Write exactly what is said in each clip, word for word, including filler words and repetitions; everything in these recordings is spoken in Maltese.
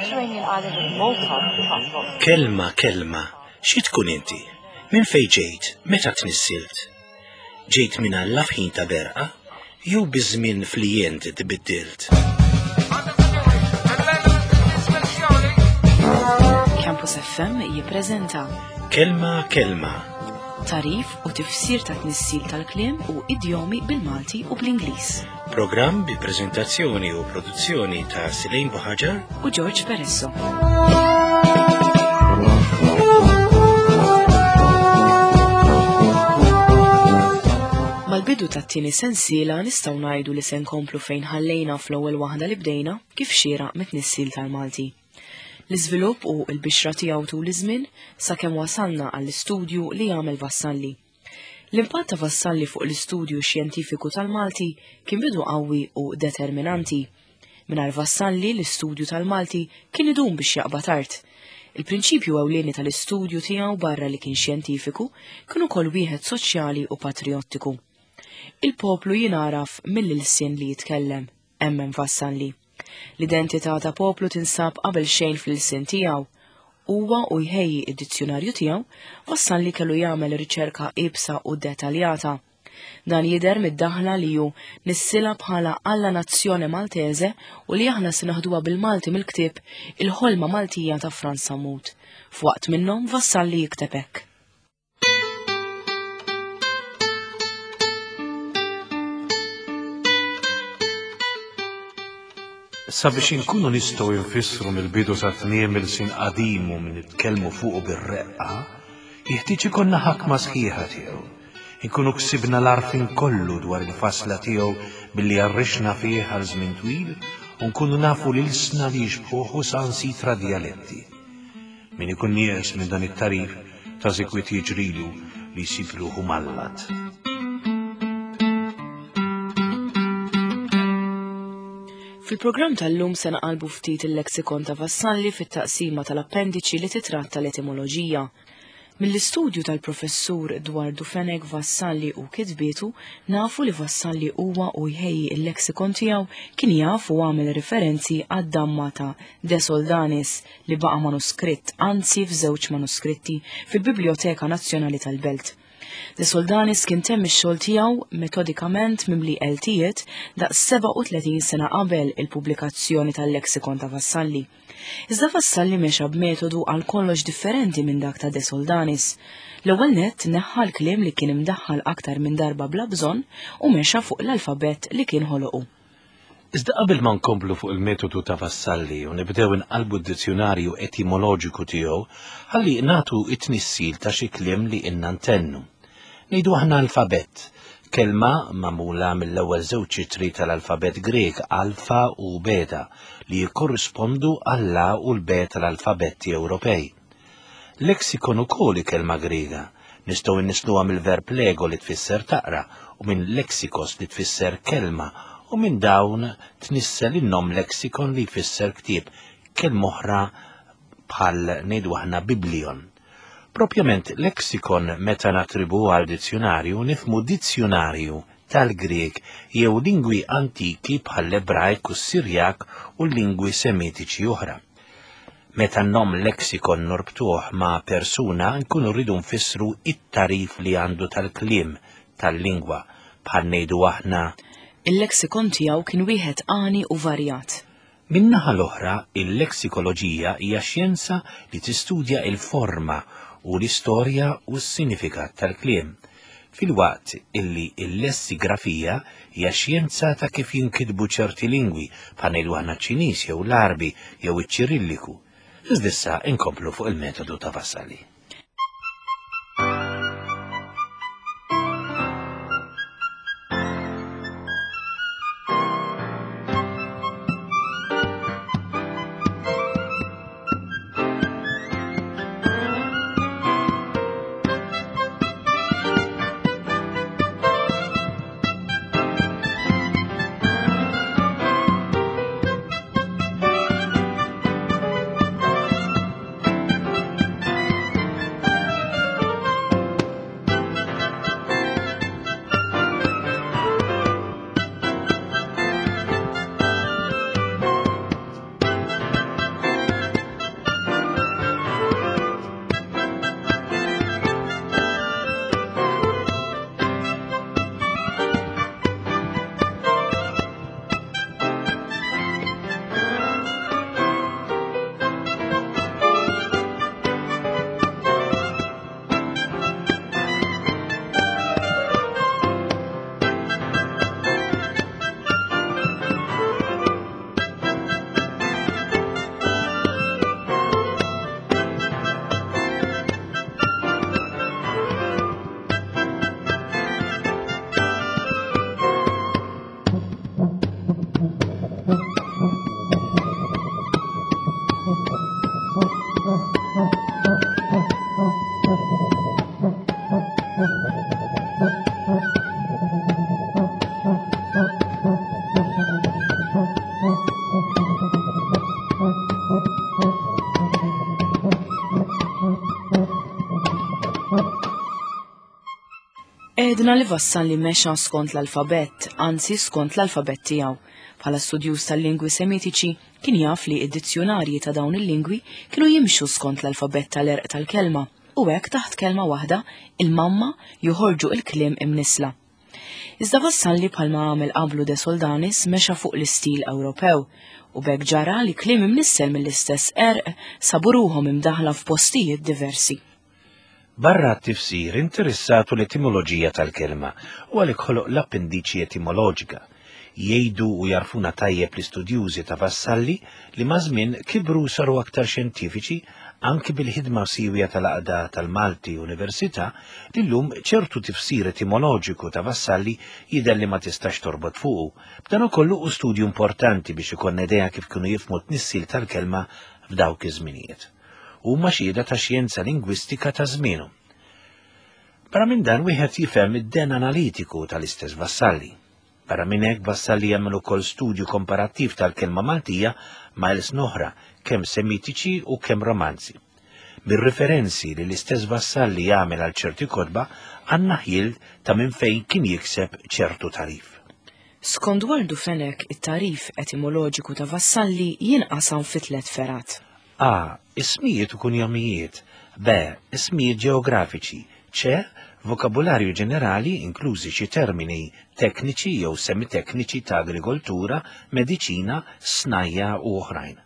Mediterranean island of Malta transport. Kelma, kelma, xi tkun inti? Minn fejn ġejt? Meta tnissilt? Ġejt minn Alla f'ħin ta' berqa? Jew biż-żmien flijent tbiddilt? Campus F M jippreżenta Kelma, kelma, tagħrif u tifsir ta' tnissil tal-kliem u idjomi bil-Malti u bl-Ingliż. Programm bi preżentazzjoni u produzzjoni ta' Silejn Buħaġar u George Peresso. Mal-bidu tat-tieni sensiela nistgħu ngħidu li se nkomplu fejn ħallejna fl-ewwel waħda li bdejna kif xieraq mit-tnissil tal-Malti. L-iżvilupp u l-bixra tiegħu tul iż-żmien sakemm wasalna għall-istudju li jagħmel Vassalli. L-impatt ta' Vassalli fuq l-istudju xjentifiku tal-Malti kien bidu qawwi u determinanti. Mingħajr Vassalli l-istudju tal-Malti kien idum biex jaqbad art. Il-prinċipju ewlieni tal-istudju tiegħu barra li kien xjentifiku kien ukoll wieħed soċjali u patriottiku. Il-poplu jingħaraf mill-ilsien li jitkellem, emmen Vassalli. L-identità ta' poplu tinsab qabel xejn fl-ilsien tiegħu. Huwa u jħejji id-dizzjonarju tiegħu, Vassalli kellu jagħmel riċerka iebsa u dettaljata. Dan jidher mid-daħla li hu nissila bħala Alla Nazzjone Maltese u li aħna se naħduha bil-Malti mill-ktieb Il-Ħolma Maltija ta' Frans Sammut. F'waqt minnhom Vassalli jikteb hekk. Sabiex inkunu nistgħu nfissru mill-bidu sa tmiem ilsien qadim u min nitkellmu fuqu bir-reqqa, jeħtieġ ikollna ħakma sħiħa tiegħu. Inkunu ksibna l-għarfien kollu dwar il-fasla tiegħu billi għarrixna fih għal żmien twil u nkunu nafu l-ilsna li jixbħuh u sansitra djaletti. Min ikun nieqes minn dan it-tarif ta' sikwit jiġrilu li jsib ruħu mallat. Fil-programm tal-lum se naqalbu ftit il-leksikon ta' Vassalli fit-taqsima tal-appendiċi li titratta l-etimoloġija. Mill-istudju tal-professur Dwardu Fenech Vassalli u kitbietu nafu li Vassalli huwa u jħejji il-leksikon tiegħu kien jaf u għamel referenzi għad-damma ta' De Soldanis li baqa' manuskritt, anzi f'żewġ manuskritti fil-Biblioteka Nazzjonali tal-Belt. De Soldanis kien temm ix-xogħol tiegħu metodikament mimli eltijiet daqs sebgħa u tletin sena qabel il-pubblikazzjoni tal-leksikon ta' Vassalli. Iżda Vassalli mexa b'metodu għal kollox differenti minn dak ta' De Soldanis. L-ewwel nett neħħa l-kliem li kien imdaħħal aktar minn darba bla bżonn u mexa fuq l-alfabett li kien ħoloqu. Iżda qabel ma nkomplu fuq il-metodu ta' Vassalli u nibdew inqalbu d-dizzjonarju etimoloġiku tiegħu, ħalli nagħtu it-tnissil ta' xi kliem li inna ntennu. Ngħidu aħna alfabett, kelma magħmula mill-ewwel żewġ ċitri tal-alfabett Grek alfa u beta li jikkorrispondu għall-A u l-B tal-alfabetti Ewropej. Lexikon ukoll hi kelma Griega, nistgħu nnisluha mill-verb lego li tfisser taqra u minn lexikos li tfisser kelma u minn dawn tnissel in-nom lexikon li jfisser ktieb, kelma oħra bħal ngħidu aħna biblion. Propjament lexikon meta natribu għal dizzjonarju nifmu dizzjonarju tal-Grek jew lingwi antiki bħal l-Ebrajk u s-Sirjak u l-lingwi semitiċi oħra. Meta n-nom lexikon norbtuh ma' persuna nkunu rridu nfissru it-tarif li għandu tal-kliem tal-lingwa bħal ngħidu aħna. Il-lexikon tiegħu kien wieħed għani u varjat. Min-naħa l-oħra, il-leksikoloġija hija xjenza li tistudja il-forma u l-istorja u s-sinifikat tal-kliem, filwaqt illi il-lessigrafija hija xjenza ta' kif jinkitbu ċerti lingwi bħal ngħidu aħna ċ-Ċiniż jew l-Għarbi jew iċ-Ċirilliku. Iżda issa inkomplu fuq il-metodu ta' Vassalli. Għedna li Vassalli mexa skont l-alfabett, anzi skont l-alfabett tiegħu. Bħala studjuż tal-lingwi semitiċi kien jaf li id-dizzjonarji ta' dawn il-lingwi kienu jimxu skont l-alfabett tal-erq tal-kelma u hekk taħt kelma waħda il-mamma joħorġu il-kliem imnisla. Iżda Vassalli bħalma għamel qablu De Soldanis mexa fuq l-istil Ewropew u b'hekk ġara li kliem imnissel mill-istess erq sabu ruħhom imdaħla f'postijiet diversi. Barra t-tifsir interessatu l-etimoloġija tal-kelma u għalhekk ħoloq l-appendiċi etimoloġika. Jgħidu u jarfuna tajjeb l-istudjużi ta' Vassalli li maż-żmien kibru saru aktar xjentifiċi anki bil-ħidma siwja tal-Għaqda tal-Malti Università li llum ċertu tifsir etimoloġiku ta' Vassalli jidher li ma tistax torbot fuqu. B'dan ukoll hu studju importanti biex ikollna idea kif kienu jifhmu t-tnissil tal-kelma f'dawk iż-żminijiet. Huma xhieda ta' xjenza lingwistika ta' żmienu. Barra minn dan wieħed jifhem id-den analitiku tal-istess Vassalli. Barra minn hekk Vassalli jagħmel ukoll studju komparattiv tal-kelma Maltija ma' ilsna oħra, kemm semitiċi u kemm romanzi. Bir-referenzi li l-istess Vassalli jagħmel għal ċerti kotba għandna ħjiel ta' minn fejn kien jikseb ċertu tarif. Skont Waldu Fenech, it-tarif etimoloġiku ta' Vassalli jinqasam fi tliet ferat. A. Ismijiet u kunjomijiet. B. Ismijiet ġeografiċi. C. Vokabularju ġenerali, inklużi xi termini tekniċi jew semitekniċi ta' agrikoltura, mediċina, snajja u oħrajn.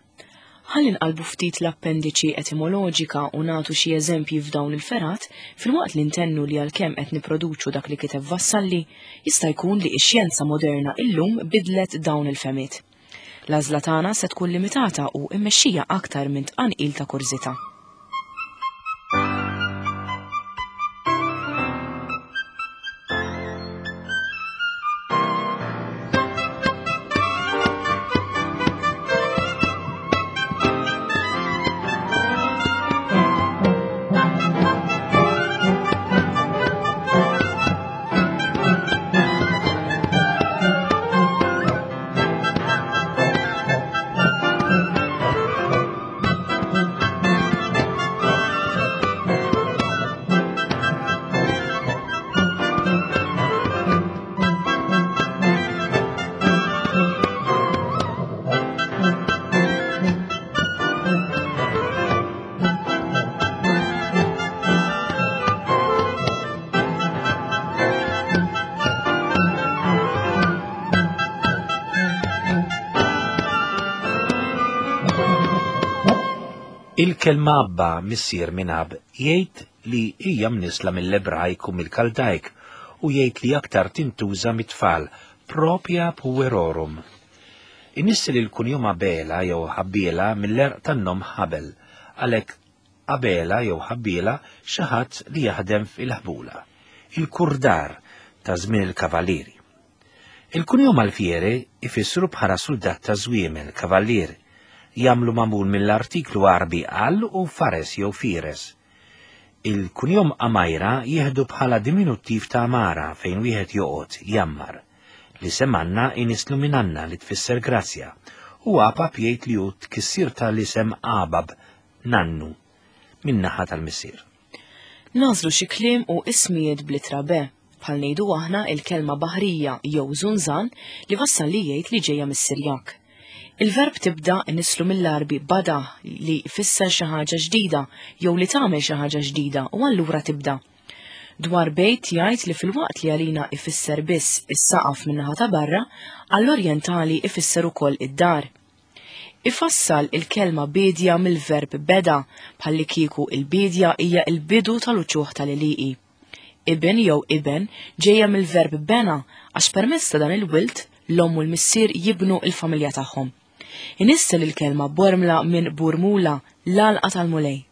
Ħalli nqalbu ftit l-appendiċi etimoloġika u nagħtu xi eżempji f'dawn il-ferat filwaqt li ntennu li għalkemm qed nipproduċu dak li kiteb Vassalli, jista' jkun li x-xjenza moderna illum bidlet dawn il-femiet. L-għażla tagħna se tkun limitata u mmexxija aktar minn tqanqil ta' kurżità. Il-kelma Abba missier minn Ab jgħid li hija mnisla mill-Ebrajk u mill-Kaldajk u jgħid li aktar tintuża mit-tfal propja puerorum. Inissel il-kunjom Abela jew Ħabbiela mill-erq tan-nom Ħabel, għalhekk Abela jew Ħabbiela xi ħadd li jaħdem fil-ħbula, il-kurdar ta' żmien il-kavallieri. Il-kunjom Alfiere ifissru bħala suldat ta' żwiemel, kavallier, jagħmlu magħmul mill-artiklu Għarbi al u fares jew fires. Il-kunjom Amajra jieħdu bħala diminuttiv ta' Amara fejn wieħed joqgħod jammar. L-isem Anna inislu minn Anna li tfisser grazzja u Apap jgħid li hu tkissir tal-isem Abab, nannu, min-naħa tal-missier. Nażlu xi kliem u ismijiet bl-ittra B, bħal ngħidu aħna il-kelma baħrija jew żunżan li Vassalli jgħid li ġejja mis-Sirjak. Il-verb tibda nislu mill-Għarbi bada li jfisser xi ħaġa ġdida jew li tagħmel xi ħaġa ġdida u allura tibda. Dwar bejt jgħid li filwaqt li għalina ifisser biss is-saqaf min-naħa ta' barra, għall-Orjentali ifisser ukoll id-dar. Ifassal il-kelma bidja mill-verb beda bħalli kieku il-bidja hija il-bidu tal-uċuħ tal-għelieqi. Ibn jew iben ġejja mill-verb bena għax permezz ta' dan il-wilt l-omm u l-missier jibnu il-familja tagħhom. Inissel il-kelma bormla minn burmula, l-għalqa tal-Mulej.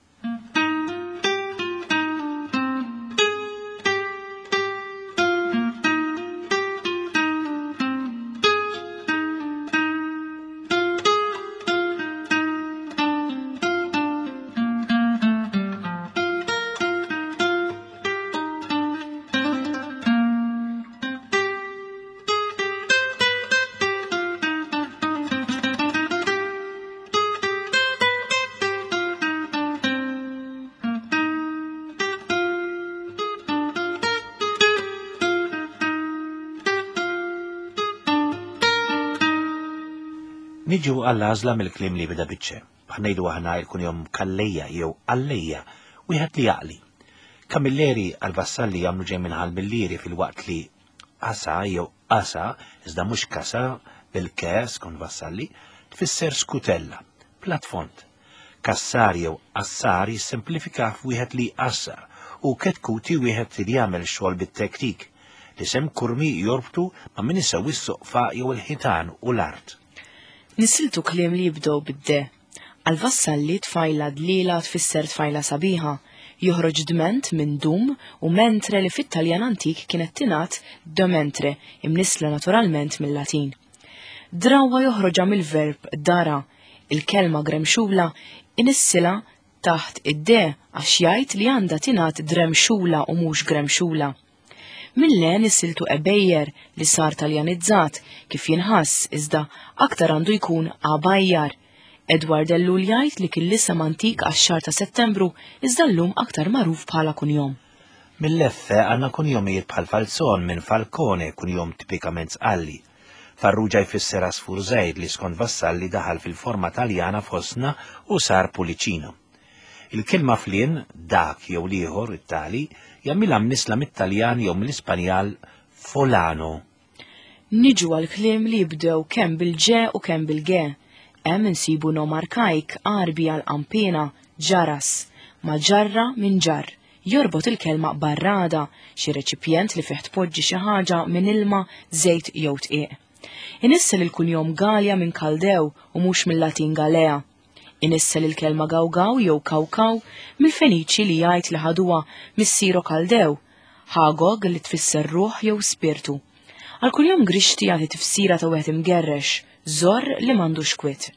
Niġu għall-għażla mill-kliem li bida biċċe. Bħal ngħidu aħna il-kunjom Kallejja jew Allejja, wieħed li jaqli. Kamilleri għal-Vassalli jagħmlu ġej minn Ħal-Millieri filwaqt li Asa jew Asa, iżda mhux Kasa, bil-kes kon Vassalli, tfisser skutella, platfont. Kassar jew Assar jissimplifika f'wieħed li jqassar u ketkuti wieħed li jagħmel xogħol bit-tektik. L-isem Kurmi jorbtu ma' min isewwi s-soqfa jew il-ħitan u l-art. Nisiltu kliem li jibdew bid-de. Għal-Vassalli tfajla dlila tfisser tfajla sabiħa, joħroġ dment minn dum u mentre li fit-Taljan antik kienet tingħad domentre, imnisla naturalment mill-Latin. Drawa joħroġha mill-verb dara, il-kelma gremxula inissila taħt id-de għax jgħid li għandha tingħad dremxula u mhux gremxula. Mill-le nisiltu ebejjer li sar taljanizzat kif jinħass iżda aktar għandu jkun abajjar. Edward Ellul jgħid li kien l-isem antik għax-xahar ta' Settembru iżda llum aktar magħruf bħala kunjom. Mill-leffe għandna kunjomijiet bħal Falzon minn Falcone, kunjom tipikament Sqalli. Farrugia jfisser għasfur żgħir li skont Vassalli daħal fil-forma Taljana fosna u sar Pulicino. Il-kelma flien, dak jew l-ieħor, it-tali, jagħmilha mnisla mit-Taljan jew mill-Ispanjal folano. Niġu għal kliem li jibdew kemm bil-ġe u kemm bil-ge. Hemm insibu nom arkajk Għarbi għal qampina, ġaras, ma ġarra minn ġar. Jorbot il-kelma barrada, xi reċipjent li fih tpoġġi xi ħaġa minn ilma, żejt jew tqiq. Inissel il-kunjom Galja minn Kaldew u mhux mill-Latin Galea. Inissel il-kelma gawgaw jew kawkaw mill-Feniċi li jgħid li ħaduha mis-Siro Kaldew, ħagog li tfisser ruħ jew spirtu. Għal kunjom Grixti jagħti tifsira ta' wieħed imgerrex, żor li m'għandux kwiet.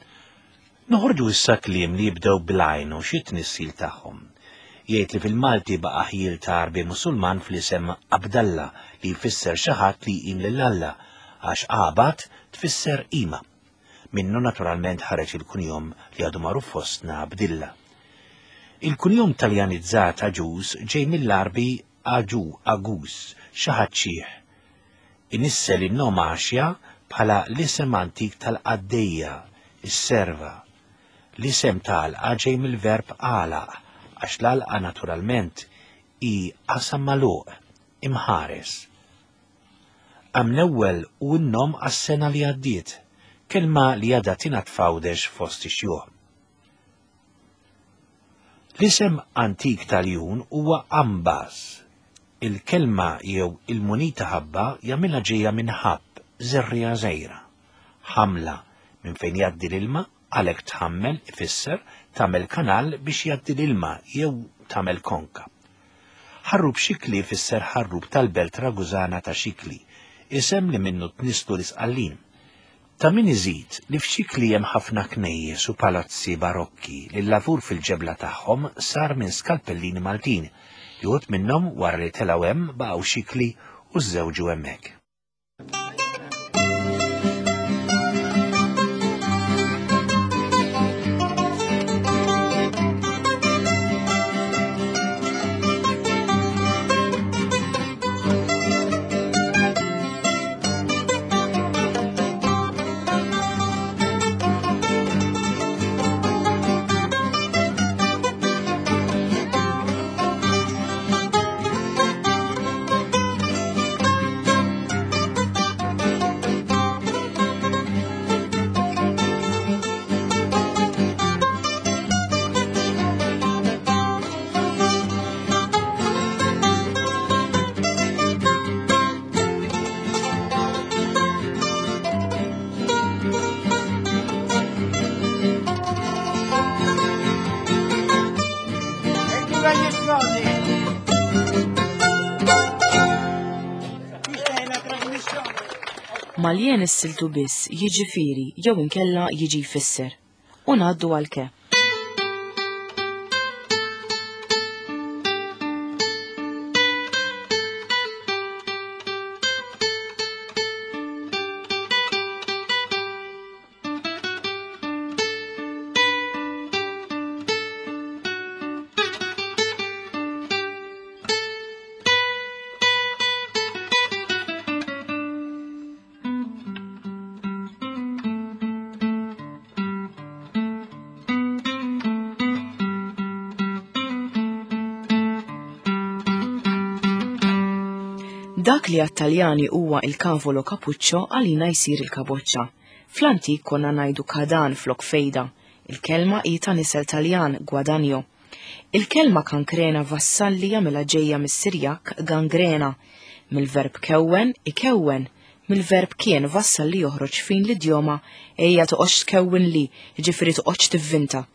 Noħorġu issa kliem li jibdew bl-għajn u xi tnissil tagħhom. Jgħid li fil-Malti baqa' ħjiel ta' Għarbi Musulman fl-isem Abdalla li jfisser xi ħadd li jqim lil Alla, għax Abad tfisser qima. Minnu naturalment ħareġ il-kunjom li għadu magħruf fostna Abdilla. Il-kunjom taljanizzat Aġuż ġej mill-Għarbi Aġu, Agus, xi ħadd xiħ. Inissel in-nom Għaxja bħala l-isem antik tal-qaddejja, is-serva. L-isem tal-għalqa ġej mill-verb għalaq, għax l-għalqa naturalment hi qasam magħluq, imħares. Għam l-ewwel u n-nom għas-sena li għaddiet, kelma li għadha tingħad f'Għawdex fost ix-xjuħ. L-isem antik tal-jun huwa Ambas. Il-kelma jew il-munita ħabba jagħmilha ġejja minn ħabb, żerriegħa żgħira. Ħamla minn fejn jgħaddi l-ilma, għalhekk tħammel ifisser tagħmel kanal biex jgħaddi l-ilma jew tagħmel konka. Ħarrub Xikli ifisser ħarrub tal-belt Ragużana ta' Xikli, isem li minnu tnislu l-Isqallin. Ta' min iżid li f'Xikli hemm ħafna knejjes u palazzi barokki li l-lavur fil-ġebla tagħhom sar minn skalpellini Maltin, li wħud minnhom wara li telgħu hemm baqgħu Xikli u żżewġu hemmhekk. Maljen is-siltu biss jiġifieri jew inkella jiġi jfisser. U ngħaddu għal ke. Dak li għat-Taljani huwa il-cavolo cappuccio għalina jsir il-kaboċċa. Fl-antik konna ngħidu kadan flok fejda. Il-kelma hi ta' nisel Taljan guadagno. Il-kelma kankrena Vassalli jagħmilha ġejja mis-Sirjak gangrena. Mill-verb kewwen ikewwen. Mill-verb kien Vassalli joħroġ fin l-idjoma ejja toqgħodx tkewwen li, jiġifieri toqgħodx tivvinta.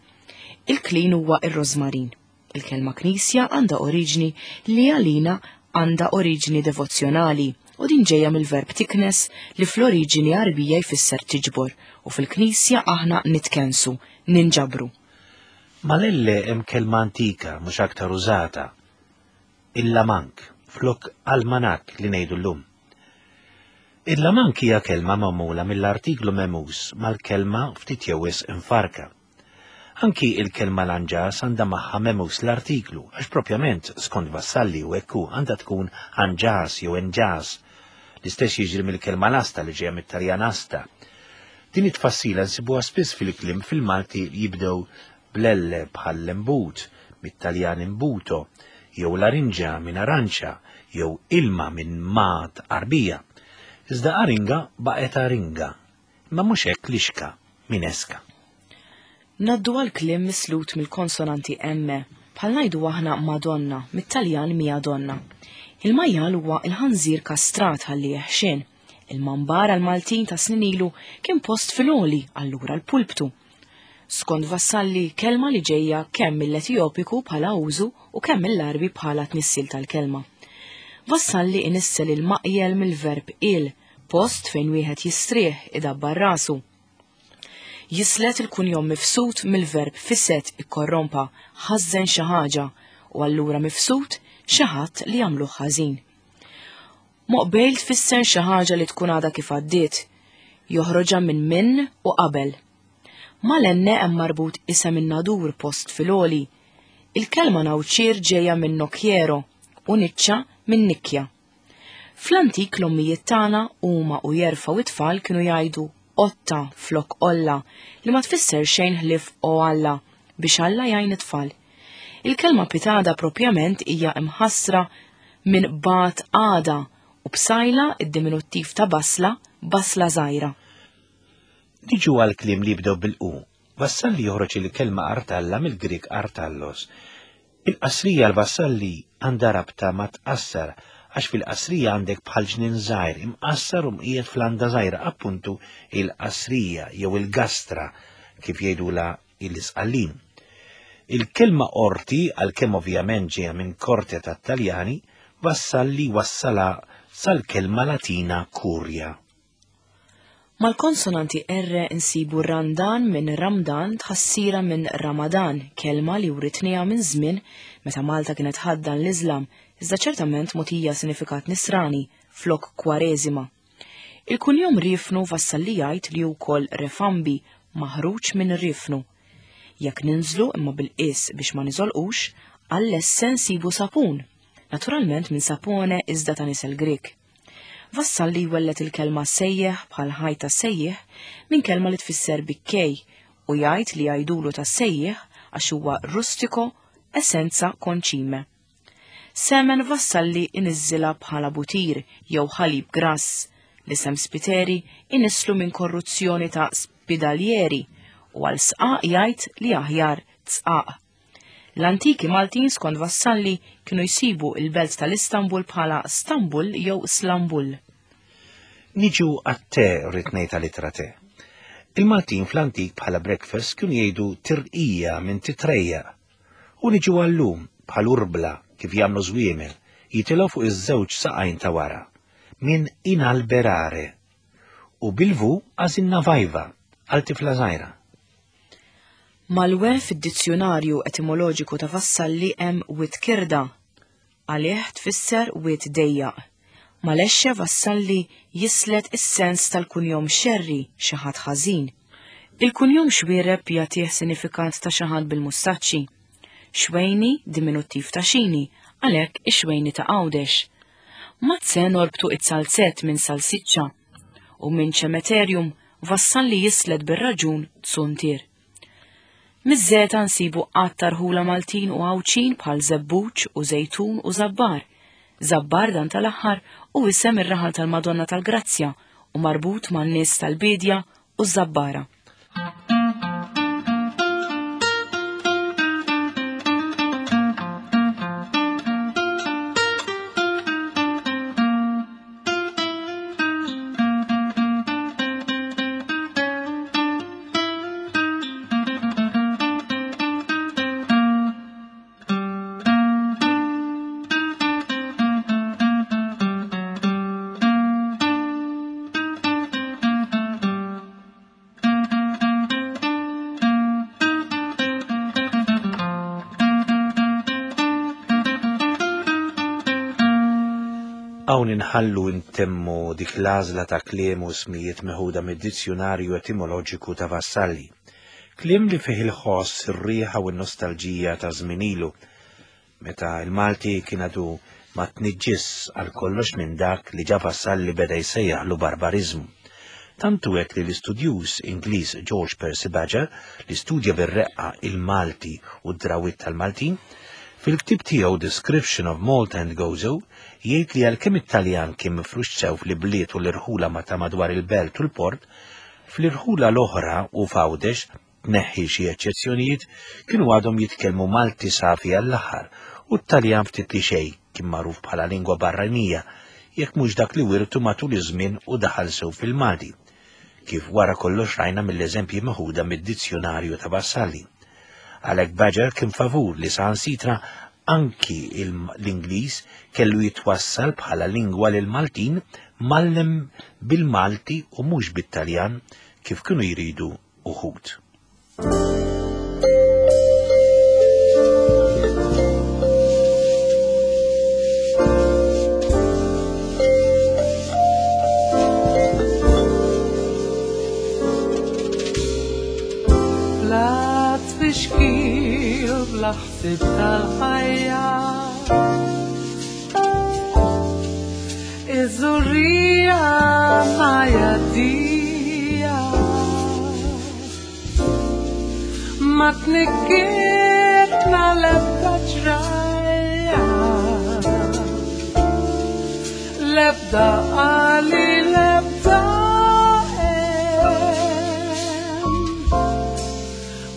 Il-klin huwa ir-rożmarin. Il-kelma knisja għandha oriġni li għalina għandha oriġni devozzjonali u din ġejja mill-verb tiknes li fl-oriġini Għarbija jfisser tiġbor u fil-knisja aħna nitkensu, ninġabru. Mal-elle hemm kelma antika mhux aktar użata. Il-lamank, flok almanak li ngħidu llum. Il-lamank hija kelma magħmula mill-artiklu memus mal-kelma ftit jew wisq infarka. Anki il-kelma lanġas għandha magħha memus l-artiklu, għax propjament skont Vassalli u ekku għandha tkun anġas jew enġas. L-istess jiġri mill-kelma lasta li ġejja mit-Taljan asta. Din it-tfassila nsibuha spiss fil-kliem fil-Malti jibdew blelle bħal lembut, mit-Taljan imbuto, jew larinġa minn aranċa, jew ilma minn mat arbija. Iżda aringa baqgħet aringa, imma mhux hekk lixka minn eska. Naddu għal kliem mislut mill-konsonanti M, bħal ngħidu aħna Madonna, mit-Taljan mia donna. Il-majjal huwa il-ħanżir kastrat ħalli jeħxien. Il-mambar għal-Maltin ta' snin ilu kien post fil-għoli, allura l-pulptu. Skont Vassalli, kelma li ġejja kemm mill-Etjopiku bħala użu u kemm mill-Għarbi bħala tnissil tal-kelma. Vassalli inissel il-maqjel mill-verb il, post fejn wieħed jistrieħ idabbar rasu. Jislet il-kunjom mifsud mill-verb fiset ikkorrompa, ħażen xi ħaġa u allura mifsud xi ħadd li jagħmlu ħażin. Moqbejl tfisser xi ħaġa li tkun għadha kif għaddiet, joħroġha minn minn u qabel. Mal-enne hemm marbut isem in-nadur post fil-għoli. Il-kelma nawċir ġejja minn nokjero u niċċa minn nikkja. Fl-antik l-ommijiet tagħna huma u jerfgħu it-tfal kienu jgħidu otta flok olla li ma tfisser xejn ħlief o Alla biex Alla jgħin it-tfal. Il-kelma pitada propjament hija imħassra minn bat għada u bsajla id-diminuttiv ta' basla, basla żgħira. Niġu għal kliem li jibdew bil-u. Vassalli joħroġ il-kelma artalla mill-Grik artallos. Il-qasrija l-Vassalli għandha rabta ma tqassar għax fil-qasrija għandek bħal ġnien żgħir imqassar u mqiegħed fl-għanda żgħira, appuntu il-qasrija jew il-gastra kif jgħidula il-Isqallin. Il-kelma orti, għalkemm ovvjament ġejja minn korte tat-Taljani, Vassalli wassala sal-kelma Latina kurja. Mal-konsonanti R insibu randan minn Ramdan tħassira minn Ramadan, kelma li writniha minn żmien meta Malta kienet ħaddan l-Iżlam, iżda ċertament mogħtija sinifikat nisrani flok kwareżima. Il-kunjom Rifnu Vassalli jgħid li wkoll refambi maħruġ minn Rifnu. Jekk ninżlu imma bil-qis biex ma niżolqux, għall-esse nsibu sapun, naturalment minn sapone iżda ta' nisel Grek. Vassalli jwellet il-kelma sejjeħ bħal ħajta sejjeħ minn kelma li tfisser bikkej u jgħid li jgħidulu ta' sejjeħ għax huwa rustiko essenza konċime. Semen Vassalli iniżżilha bħala butir jew ħalib grass, l-isem Spiteri inislu minn korruzzjoni ta' spidalieri u għal sqaq jgħid li aħjar tsqaq. L-antiki Maltin skont Vassalli kienu jsibu il-belt tal-Istanbul bħala Stambul jew Slambul. Niġu għat-te rrid ngħid għal-ittra te. Il-Maltin fl-antik bħala breakfast kienu jgħidu tirqija minn titrejja. U niġu għallum bħal urbla kif jagħmlu żwiemel jitilgħu fuq iż-żewġ saqajn ta' wara minn inalberare u bil-vu għażilna vajva għal tifla żgħira. Mal-we fid-dizzjonarju etimoloġiku ta' Vassalli hemm wit kirda, għalih tfisser wit dejjaq. Mal-exxe Vassalli jislet is-sens tal-kunjom xerri xi ħadd ħażin. Il-kunjom xwiereb jagħtih sinifikat ta' xi ħadd bil-mustaċċi. Xwejni diminuttiv ta' xini, għalhekk ix-xwejni ta' Għawdex. Mazze norbtu it-salzett minn salsiċċa u minn ċemeterjum Vassalli jislet bir-raġun tsuntier. Miż-żeta nsibu qatt tarħula Maltin u Għawdxin bħal żebbuġ u żejtun u żabbar, Żabbar dan tal-aħħar u isem ir-raħal tal-Madonna tal-Grazzja u marbut man-nies tal-Bedja u ż-Żabbara. Hawn inħallu intemmu dik l-għażla ta' kliem u smijiet meħuda mid-dizzjonarju etimoloġiku ta' Vassalli. Kliem li fih il-ħoss, ir-riħa u n-nostalġija ta' żmien ilu, meta il-Malti kien għadu ma tniġġis għal kollox minn dak li ġa Vassalli beda jsejjaħlu barbariżmu. Tantu hekk li l-istudjuż Ingliż George Percy Badger, li studja bir-reqqa il-Malti u d-drawwiet tal-Maltin, fil-ktib tiegħu Description of Malta and Gozo jgħid li għalkemm it-Taljan kien mifrux sew fl-ibliet u l-irħula ma ta' madwar il-belt u l-port, fl-irħula l-oħra u f'Għawdex, tneħħi xi eċċezzjonijiet, kienu għadhom jitkellmu Malti safi għall-aħħar u t-Taljan ftit li xejn kien magħruf bħala lingwa barranija, jekk mhux dak li wirtu matul iż-żmien u daħal sew fil-Malti, kif wara kollox rajna mill-eżempji meħuda mid-dizzjonarju ta' Vassalli. Għalhekk Badger kien favur li saħansitra anki l-Ingliż kellu jitwassal bħala lingwa lil Maltin mallem bil-Malti u mhux bit-Taljan kif kienu jridu uħud. Tfixkil bla ħsieb tal-ħajja, iż-żurrija ma jgħaddija, ma tnikkitna l-ebda ġrajja, l-ebda għali l-ebda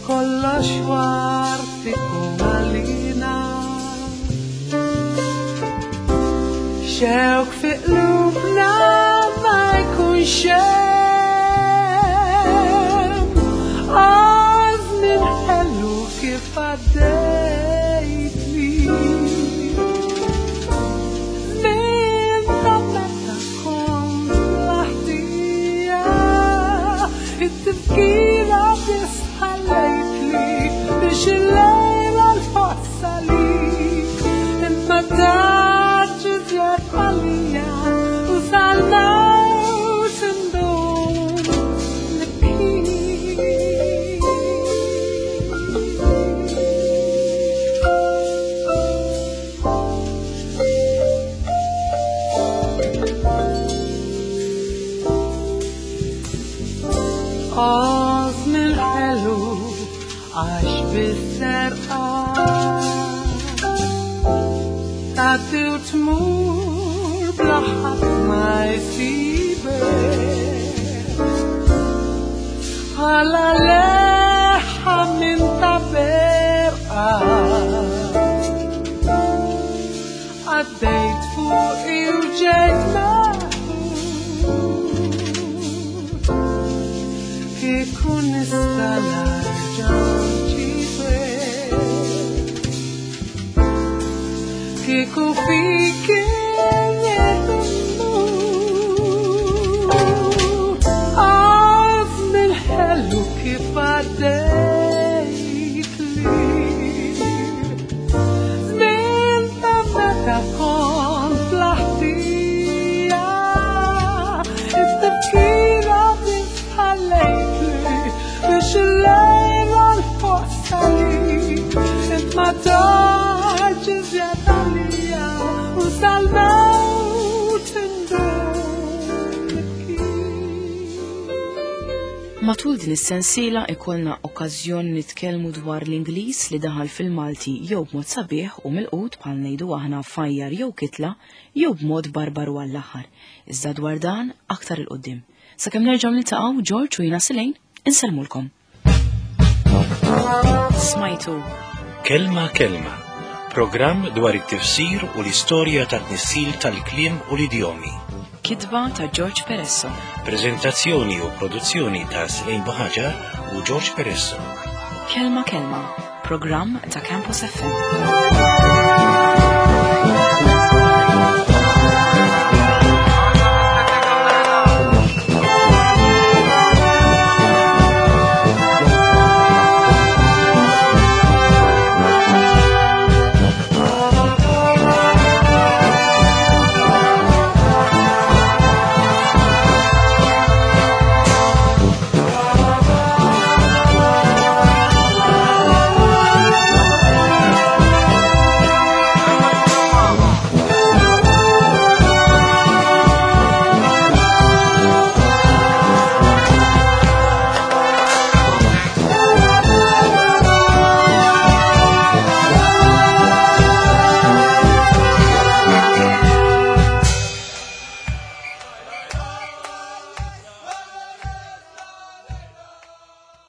kollox wart ikun għalina. Xewk fi qlubna ma jkunx hemm, għażmin ħelu kif għaddejtli. Żmien ta' meta kont laħtija, it-tifkira biss ħallejtli biex il-lejla l-ħoss għalik. Int ma tantx iżjed għalija u sal-mewt indum nibki. Għażm il-ħelu għax bis-serqa tagħti u tmur bla ħadd ma jsibek, ħala leħħa minn ta' berqa għaddejt fuqi u ġejt meħud, kieku nista' nerġa' nġibek, kieku fik immut. Għażm il-ħelu kif għaddejtli, żmien ta' meta kont fl-ħtija, it-tifkira biss ħallejtli biex il-lejla l-ħoss għalik. Int ma tantx iżjed għalija u sal-mewt indum nibki. Matul din is-sensiela ikollna okkażjoni nitkellmu dwar l-Ingliż li daħal fil-Malti jew b'mod sabiħ u milqut bħal ngħidu aħna fajjar jew kitla jew b'mod barbaru għall-aħħar. Iżda dwar dan aktar 'il quddiem. Sakemm nerġgħu niltaqgħu George u jiena Silejn, insellmulkom. Smajtu Kelma Kelma, programm dwar it-tifsir u l-istorja tat-tnissil tal-kliem u l-idjomi. Kitba ta' George Peresso. Prezentazzjoni u produzzjoni ta' Slejn Buħaġar u George Peresso. Kelma Kelma, programm ta' Campus F M.